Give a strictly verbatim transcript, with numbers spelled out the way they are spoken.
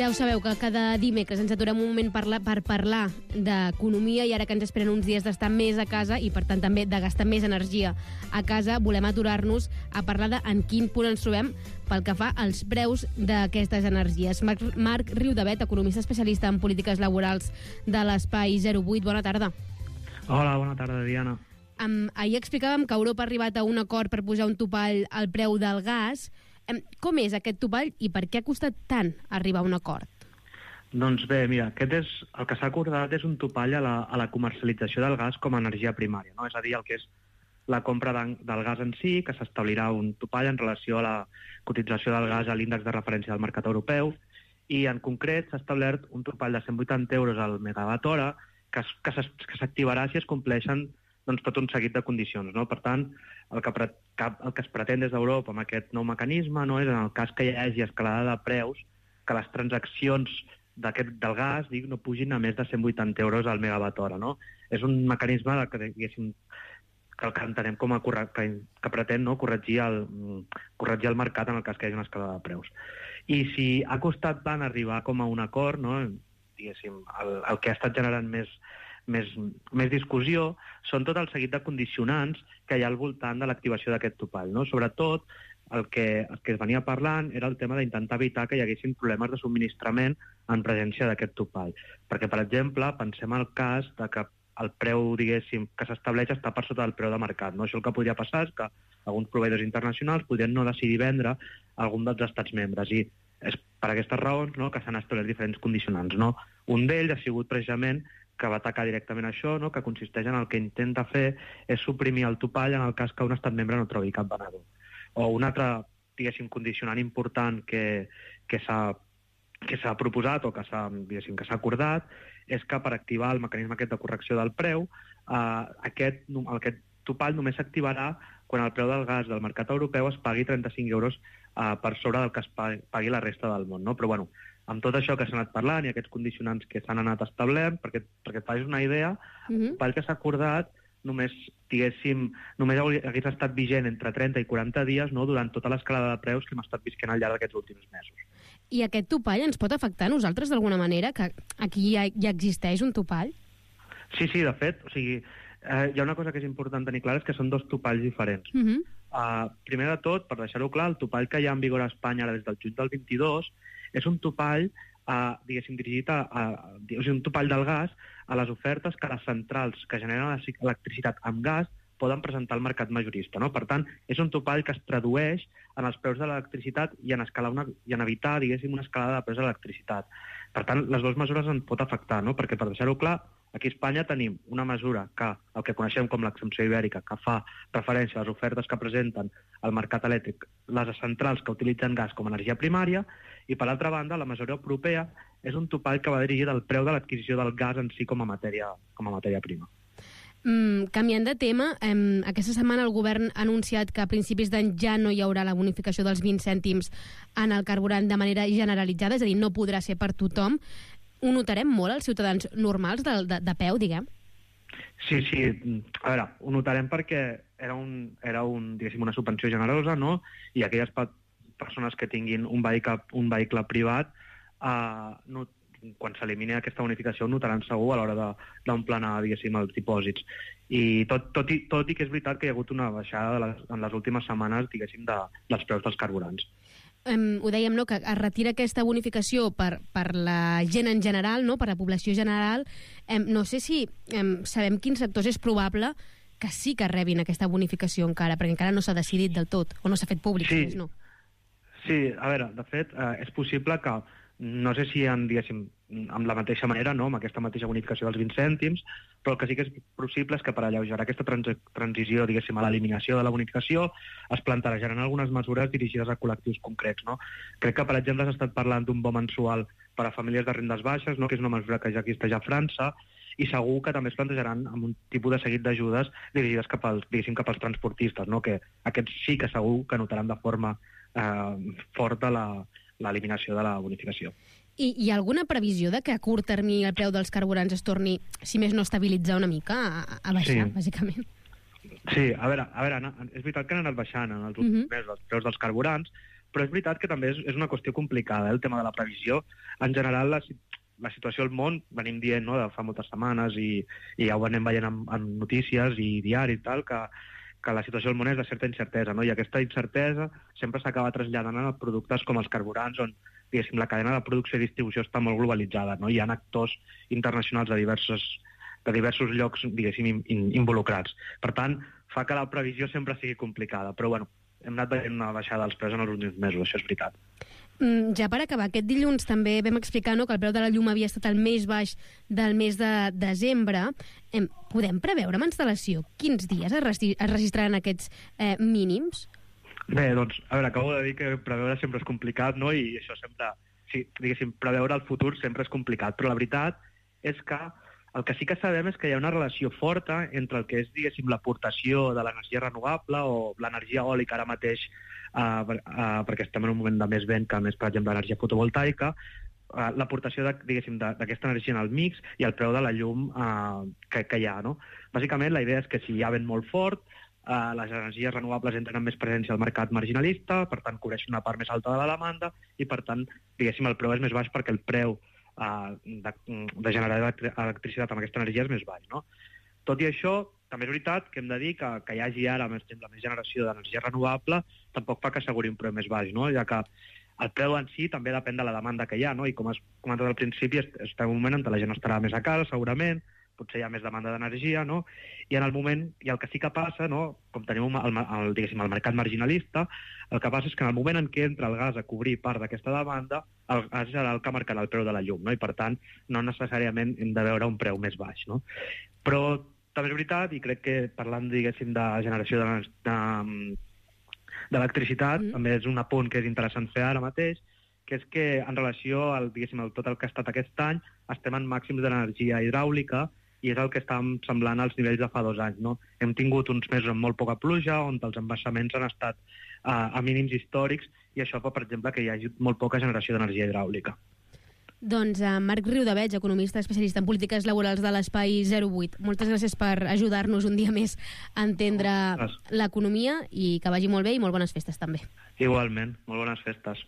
Ja ho sabeu, que cada dimecres ens aturem un moment per, la, per parlar d'economia i ara que ens esperen uns dies d'estar més a casa i, per tant, també de gastar més energia a casa, volem aturar-nos a parlar de en quin punt ens trobem pel que fa als preus d'aquestes energies. Marc, Marc Riudevet, economista especialista en polítiques laborals de l'Espai zero vuit. Bona tarda. Hola, bona tarda, Diana. Um, ahir explicàvem que Europa ha arribat a un acord per posar un topall al preu del gas. Um, com és aquest topall i per què ha costat tant arribar a un acord? Doncs bé, mira, aquest és, el que s'ha acordat és un topall a la, a la comercialització del gas com a energia primària, no? És a dir, el que és la compra de, del gas en si, que s'establirà un topall en relació a la cotització del gas a l'índex de referència del mercat europeu, i en concret s'ha establert un topall de cent vuitanta euros al megawatt hora que, que s'activarà si es compleixen doncs, tot un seguit de condicions, no? Per tant, el que, pre, el que es pretén des d'Europa amb aquest nou mecanisme no és, en el cas que hi hagi escalada de preus, que les transaccions d'aquest del gas dic, no pugin a més de cent vuitanta euros al megawatt hora, no? És un mecanisme que, diguéssim, que el que entenem com a corre, que, que pretén no, corregir, el, corregir el mercat en el cas que hi hagi una escalada de preus. I si ha costat tant arribar com a un acord, no, diguéssim, el, el que ha estat generant més Més, més discussió, són tot el seguit de condicionants que hi ha al voltant de l'activació d'aquest topall, no? Sobretot, el que, el que es venia parlant era el tema d'intentar evitar que hi haguessin problemes de subministrament en presència d'aquest topall. Perquè, per exemple, pensem el cas de que el preu, diguéssim, que s'estableix està per sota del preu de mercat, no? Això el que podria passar és que alguns proveïdors internacionals podrien no decidir vendre algun dels estats membres, i és per aquestes raons, no, que s'han establert diferents condicionants, no? Un d'ells ha sigut precisament que va atacar directament això, no? Que consisteix en el que intenta fer és suprimir el topall en el cas que un estat membre no trobi cap venedor. O un altre, diguéssim, condicionant important que, que s'ha que s'ha proposat o que s'ha, diguéssim, que s'ha acordat és que per activar el mecanisme aquest de correcció del preu, eh, aquest, aquest topall només s'activarà quan el preu del gas del mercat europeu es pagui trenta-cinc euros eh, per sobre del que es pagui, pagui la resta del món, no? Però bueno, amb tot això que s'ha anat parlant i aquests condicionants que s'han anat establint, perquè, perquè et facis una idea, uh-huh. pel que s'ha acordat només, diguéssim, només hagués estat vigent entre trenta i quaranta dies, no?, durant tota l'escalada de preus que hem estat visquent al llarg d'aquests últims mesos. I aquest topall ens pot afectar a nosaltres d'alguna manera? Que aquí ja, ja existeix un topall? Sí, sí, de fet, o sigui, eh, hi ha una cosa que és important tenir clara, és que són dos topalls diferents. Uh-huh. uh, primer de tot, per deixar-ho clar, el topall que hi ha en vigor a Espanya ara des del juny del vint-i-dos és un topall, eh, diguéssim, dirigit a, a, a o sigui, un topall del gas a les ofertes que les centrals que generen electricitat amb gas poden presentar al mercat majorista, no? Per tant, és un topall que es tradueix en els preus de l'electricitat i en, escalar una, i en evitar, diguéssim, una escalada de preus de l'electricitat. Per tant, les dues mesures en pot afectar, no? Perquè, per deixar-ho clar, aquí a Espanya tenim una mesura que, el que coneixem com l'exempció ibèrica, que fa referència a les ofertes que presenten al mercat elèctric les centrals que utilitzen gas com a energia primària, i per l'altra banda, la mesura europea és un topall que va dirigit al preu de l'adquisició del gas en si com a matèria, com a matèria prima. Mm, canviant de tema, eh, aquesta setmana el govern ha anunciat que a principis d'any ja no hi haurà la bonificació dels vint cèntims en el carburant de manera generalitzada, és a dir, no podrà ser per tothom. Ho notarem molt els ciutadans normals de, de, de peu, diguem? Sí, sí. A veure, ho notarem perquè era, un, era un, diguéssim, una subvenció generosa, no? I aquelles persones que tinguin un vehicle, un vehicle privat, eh, no, quan s'elimini aquesta bonificació ho notaran segur a l'hora d'emplenar, diguéssim, els dipòsits. I tot, tot, i, tot i que és veritat que hi ha hagut una baixada de les, en les últimes setmanes, diguéssim, de, dels preus dels carburants. Um, ho dèiem, no?, que es retira aquesta bonificació per, per la gent en general, no?, per la població general. Um, no sé si um, sabem quins sectors és probable que sí que rebin aquesta bonificació encara, perquè encara no s'ha decidit del tot, o no s'ha fet públic, sí. Més, no? Sí, a veure, de fet, eh, és possible que, no sé si en, diguéssim, amb la mateixa manera, no?, amb aquesta mateixa bonificació dels vint cèntims, però el que sí que és possible és que per alleugerar aquesta trans transició, diguéssim, a l'eliminació de la bonificació, es plantejaran algunes mesures dirigides a col·lectius concrets, no? Crec que, per exemple, s'ha estat parlant d'un bo mensual per a famílies de rendes baixes, no?, que és una mesura que ja existeix a França, i segur que també es plantejaran amb un tipus de seguit d'ajudes dirigides cap als, diguéssim, cap als transportistes, no?, que aquests sí que segur que notaran de forma eh, forta l'eliminació de la bonificació. I hi ha alguna previsió de que a curt termini el preu dels carburants es torni, si més no estabilitzar una mica, a, a baixar, sí. Bàsicament? Sí, a veure, a veure, és veritat que han anat baixant en els últims uh-huh. mesos els preus dels carburants, Però és veritat que també és, és una qüestió complicada, eh, el tema de la previsió. En general, la, la situació al món, venim dient, no?, de fa moltes setmanes, i, i ja ho anem veient en, en notícies i diaris i tal, que, que la situació al món és de certa incertesa, no? I aquesta incertesa sempre s'acaba traslladant a productes com els carburants, on, diguéssim, la cadena de producció i distribució està molt globalitzada, no? Hi ha actors internacionals de diversos, de diversos llocs, diguéssim, in, involucrats. Per tant, fa que la previsió sempre sigui complicada, però, bueno, hem anat veient una baixada dels preus en els últims mesos, això és veritat. Mm, ja per acabar, aquest dilluns també vam explicar, no?, que el preu de la llum havia estat el més baix del mes de desembre. Eh, podem preveure amb instal·lació quins dies es, regi es registraran aquests eh, mínims? Bé, doncs, a veure, acabo de dir que preveure sempre és complicat, no?, i això sempre, sí, diguéssim, preveure el futur sempre és complicat, però la veritat és que el que sí que sabem és que hi ha una relació forta entre el que és, diguéssim, l'aportació de l'energia renovable o l'energia eòlica ara mateix, uh, uh, perquè estem en un moment de més vent que més, per exemple, l'energia fotovoltaica, uh, l'aportació, diguéssim, d'aquesta energia en el mix i el preu de la llum uh, que, que hi ha, no? Bàsicament, la idea és que si hi ha vent molt fort, uh, les energies renovables entren amb més presència al mercat marginalista, per tant, cobreixen una part més alta de la demanda i, per tant, diguéssim, el preu és més baix perquè el preu Uh, de, de generar electricitat amb aquesta energia és més baix, no? Tot i això, també és veritat que hem de dir que, que hi hagi ara, més, la més generació d'energia renovable tampoc fa que asseguri un preu més baix, no? Ja que el preu en si també depèn de la demanda que hi ha, no? I com has comentat al principi, estem en un moment on la gent estarà més a casa, segurament, potser hi ha més demanda d'energia, no? I en el moment, i el que sí que passa, no?, com tenim el, el, diguéssim, el mercat marginalista, el que passa és que en el moment en què entra el gas a cobrir part d'aquesta demanda, el gas serà el que marcarà el preu de la llum, no? I per tant, no necessàriament hem de veure un preu més baix, no? Però també és veritat, i crec que parlant, diguéssim, de generació d'electricitat, de, de, mm. també és un apunt que és interessant fer ara mateix, que és que en relació al, diguéssim, al tot el que ha estat aquest any, estem en màxims d'energia hidràulica, i és el que estàvem semblant als nivells de fa dos anys, no? Hem tingut uns mesos amb molt poca pluja, on els embassaments han estat uh, a mínims històrics, i això fa, per exemple, que hi hagi molt poca generació d'energia hidràulica. Doncs uh, Marc Riudebeig, economista especialista en polítiques laborals de l'Espai zero vuit. Moltes gràcies per ajudar-nos un dia més a entendre l'economia i que vagi molt bé i molt bones festes també. Igualment, molt bones festes.